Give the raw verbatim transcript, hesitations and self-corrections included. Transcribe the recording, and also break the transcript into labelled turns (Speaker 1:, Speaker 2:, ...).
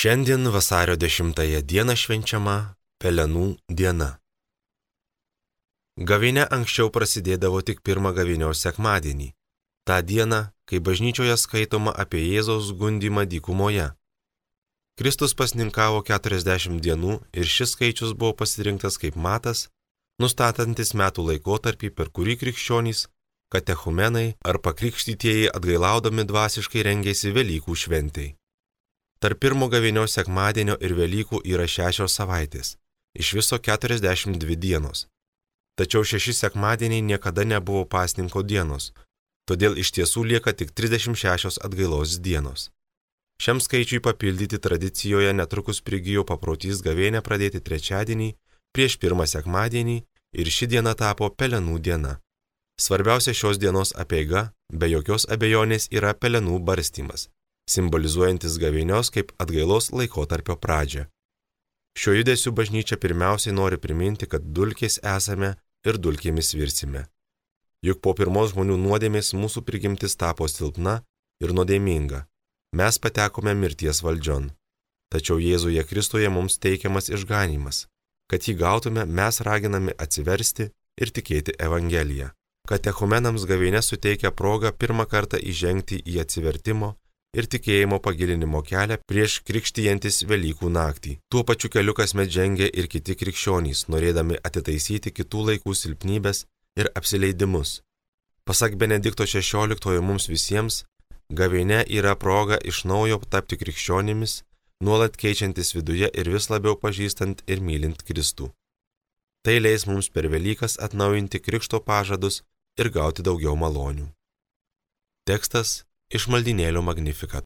Speaker 1: Šiandien vasario dešimtąją dieną švenčiama Pelenų diena. Gavėnia anksčiau prasidėdavo tik pirmą gavėnios sekmadienį, tą dieną, kai bažnyčioje skaitoma apie Jėzaus gundymą dykumoje. Kristus pasninkavo keturiasdešimt dienų ir šis skaičius buvo pasirinktas kaip matas, nustatantis metų laikotarpį, per kurį krikščionys, katechumenai ar pakrikštytieji atgailaudami dvasiškai rengėsi Velykų šventei. Tarp pirmo gavėnios sekmadienio ir Velykų yra šešios savaitės, iš viso keturiasdešimt dvi dienos. Tačiau šeši sekmadieniai niekada nebuvo pasninko dienos, todėl iš tiesų lieka tik trisdešimt šešios atgailos dienos. Šiam skaičiui papildyti tradicijoje netrukus prigijo paprotys gavėnią pradėti trečiadienį prieš pirmą sekmadienį ir ši diena tapo Pelenų diena. Svarbiausia šios dienos apeiga, be jokios abejonės, yra pelenų barstymas, simbolizuojantis gavėnios kaip atgailos laikotarpio pradžią. Šio judesiu bažnyčia pirmiausiai nori priminti, kad dulkės esame ir dulkėmis virsime. Juk po pirmos žmonių nuodėmės mūsų prigimtis tapo silpna ir nuodėminga. Mes patekome mirties valdžion. Tačiau Jėzuje Kristuje mums teikiamas išganymas. Kad jį gautume, mes raginami atsiversti ir tikėti Evangeliją. Katechumenams gavėnia suteikia progą pirmą kartą įžengti į atsivertimo ir tikėjimo pagilinimo kelią prieš krikštijantis Velykų naktį. Tuo pačiu keliu kasmet žengia ir kiti krikščionys, norėdami atitaisyti kitų laikų silpnybės ir apsileidimus. Pasak Benedikto šešioliktojo mums visiems, gavėnia yra proga iš naujo tapti krikščionimis, nuolat keičiantis viduje ir vis labiau pažįstant ir mylint Kristų. Tai leis mums per Velykas atnaujinti krikšto pažadus ir gauti daugiau malonių. Tekstas iš maldynėlio Magnificat.